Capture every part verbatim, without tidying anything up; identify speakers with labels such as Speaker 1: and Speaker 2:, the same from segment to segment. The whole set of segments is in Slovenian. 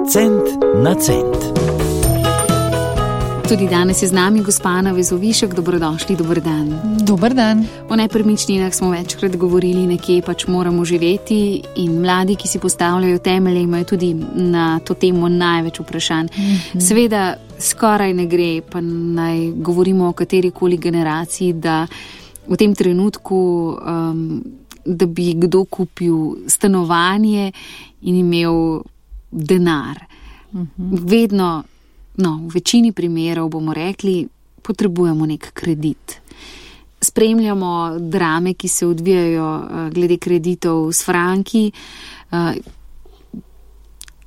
Speaker 1: Cent na cent.
Speaker 2: Tudi danes je z nami gospa Ana Vezovišek. Dobrodošli, dober dan.
Speaker 3: Dober dan.
Speaker 2: O nepremičninah smo večkrat govorili, nekje pač moramo živeti in mladi, ki si postavljajo temelje, imajo tudi na to temo največ vprašanj. Mm-hmm. Seveda skoraj ne gre, pa naj govorimo o katerikoli generaciji, da v tem trenutku, um, da bi kdo kupil stanovanje in imel denar. Mm-hmm. Vedno, no, v večini primerov bomo rekli, potrebujemo nek kredit. Spremljamo drame, ki se odvijajo glede kreditov s franki.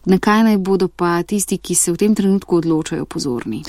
Speaker 2: Na kaj naj bodo pa tisti, ki se v tem trenutku odločajo, pozorni?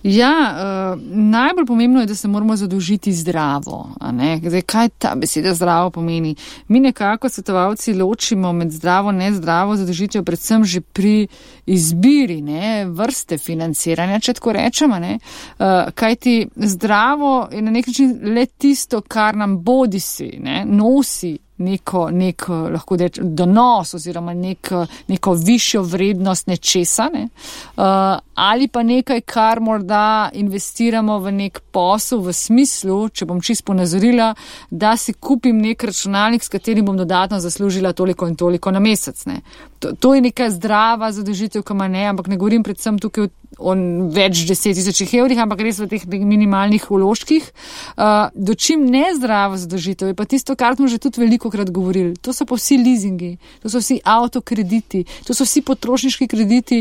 Speaker 3: Ja, uh, najbolj pomembno je, da se moramo zadolžiti zdravo. A ne? Zdaj, kaj ta beseda zdravo pomeni? Mi nekako svetovalci ločimo med zdravo in nezdravo zadolžitev predvsem že pri izbiri, ne, vrste financiranja, če tako rečemo. Ne? Uh, kajti zdravo je na nek način le tisto, kar nam bodisi, ne, nosi neko, nek, lahko reč, donos oziroma nek, neko višjo vrednost nečesa, ne? uh, ali pa nekaj, kar morda investiramo v nek posel v smislu, če bom čisto ponazorila, da si kupim nek računalnik, s katerim bom dodatno zaslužila toliko in toliko na mesec. Ne? To, to je neka zdrava zadolžitev, kama ne, ampak ne govorim predvsem tukaj o več deset tisočih evrih, ampak res v teh minimalnih vložkih. Uh, dočim nezdrava zadolžitev je pa tisto, kar smo že tudi veliko krat govorili. To so pa vsi leasingi, to so vsi avtokrediti, to so vsi potrošniški krediti,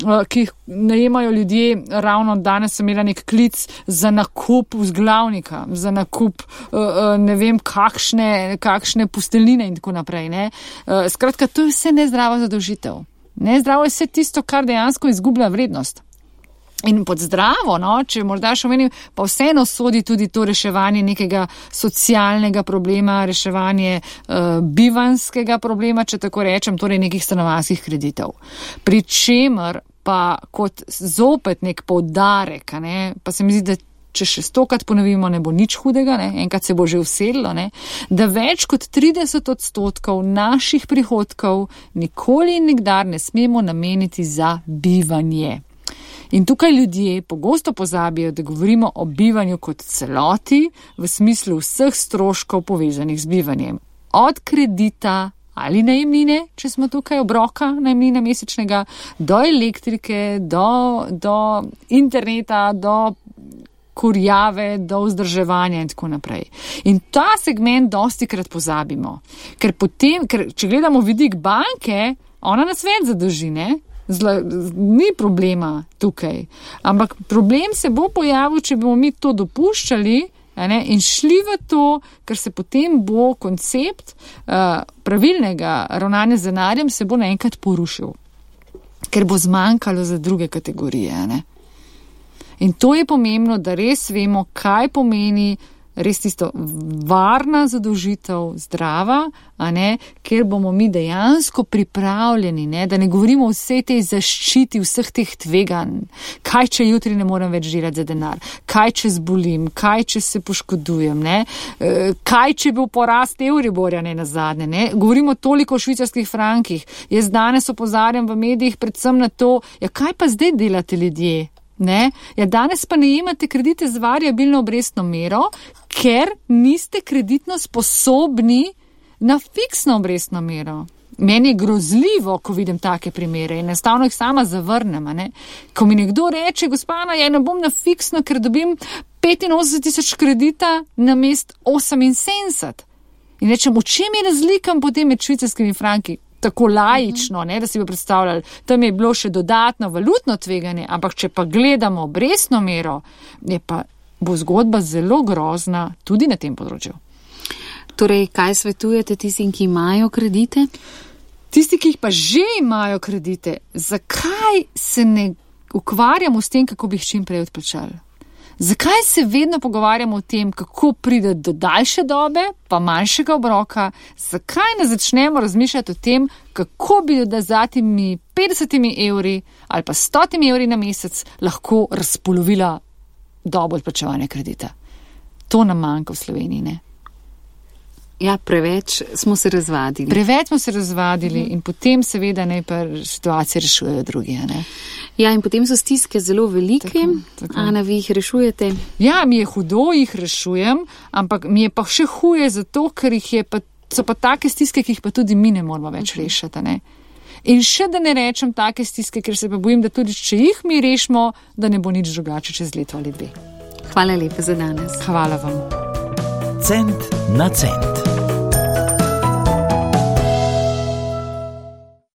Speaker 3: uh, ki jih najemajo ljudje. Ravno danes sem imela nek klic za nakup vzglavnika, za nakup uh, uh, ne vem kakšne, kakšne posteljnine in tako naprej. Ne? Uh, skratka, to je vse nezdrava zadolžitev. Nezdravo je vse tisto, kar dejansko izgublja vrednost. In pod zdravo, no, če morda še omenim, pa vseeno sodi tudi to reševanje nekega socialnega problema, reševanje uh, bivanskega problema, če tako rečem, torej nekih stanovanjskih kreditov. Pri čemer pa kot zopet nek poudarek, ne, pa se mi zdi, da če še stokrat ponovimo, ne bo nič hudega, ne, enkrat se bo že usedlo, ne, da več kot trideset odstotkov naših prihodkov nikoli in nikdar ne smemo nameniti za bivanje. In tukaj ljudje pogosto pozabijo, da govorimo o bivanju kot celoti v smislu vseh stroškov povezanih z bivanjem. Od kredita ali najemnine, če smo tukaj obroka najemnine mesečnega, do elektrike, do, do interneta, do kurjave, do vzdrževanja in tako naprej. In ta segment dostikrat pozabimo. Ker potem, ker če gledamo vidik banke, ona nas več zadolži, ne? Zla, ni problema tukaj. Ampak problem se bo pojavil, če bomo mi to dopuščali, ne, in šli v to, ker se potem bo koncept uh, pravilnega ravnanja z denarjem se bo naenkrat porušil. Ker bo zmanjkalo za druge kategorije. Ne. In to je pomembno, da res vemo, kaj pomeni res tisto varna zadolžitev, zdrava, a ne, ker bomo mi dejansko pripravljeni, ne, da ne govorimo o vsej tej zaščiti, vseh teh tveganj. Kaj, če jutri ne morem več delati za denar? Kaj, če zbolim? Kaj, če se poškodujem? Ne? Kaj, če bo porast Euriborja, ne, nazadnje? Ne? Govorimo toliko o švicarskih frankih. Jaz danes opozarjam v medijih predvsem na to, ja, kaj pa zdaj delate ljudje? Ne? Ja, danes pa najemate kredite z variabilno obrestno mero, ker niste kreditno sposobni na fiksno obrestno mero. Meni je grozljivo, ko vidim take primere in enostavno jih sama zavrnem. Ne? Ko mi nekdo reče, gospana, ja ne bom na fiksno, ker dobim petinosemdeset tisoč kredita na mest oseminsedemdeset. In rečem, v čem je razlika potem med švicarskimi franki? Tako laično, ne, da si bi predstavljali, tam je bilo še dodatno valutno tveganje, ampak če pa gledamo obrestno mero, je pa bo zgodba zelo grozna tudi na tem področju.
Speaker 2: Torej, kaj svetujete tistim, ki imajo kredite?
Speaker 3: Tisti, ki jih pa že imajo kredite, zakaj se ne ukvarjamo s tem, kako bi jih čim prej odplačali? Zakaj se vedno pogovarjamo o tem, kako pride do daljše dobe, pa manjšega obroka? Zakaj ne začnemo razmišljati o tem, kako bi da za temi petdesetimi evri ali pa stotimi evri na mesec lahko razpolovila dobo odplačevanja kredita? To nam manjka v Sloveniji, ne?
Speaker 2: Ja, preveč smo se razvadili.
Speaker 3: Preveč smo se razvadili in potem seveda ne pa situacije rešujejo drugi, ne?
Speaker 2: Ja, in potem so stiske zelo velike. Tako, tako. Ana, vi jih rešujete?
Speaker 3: Ja, mi je hudo, jih rešujem, ampak mi je pa še huje zato, ker jih je pa, so pa take stiske, ki jih pa tudi mi ne moramo več rešiti, ne? In še da ne rečem take stiske, ker se pa bojim, da tudi če jih mi rešimo, da ne bo nič drugače čez leto ali dve.
Speaker 2: Hvala lepa za danes.
Speaker 3: Hvala vam.
Speaker 1: Cent na cent.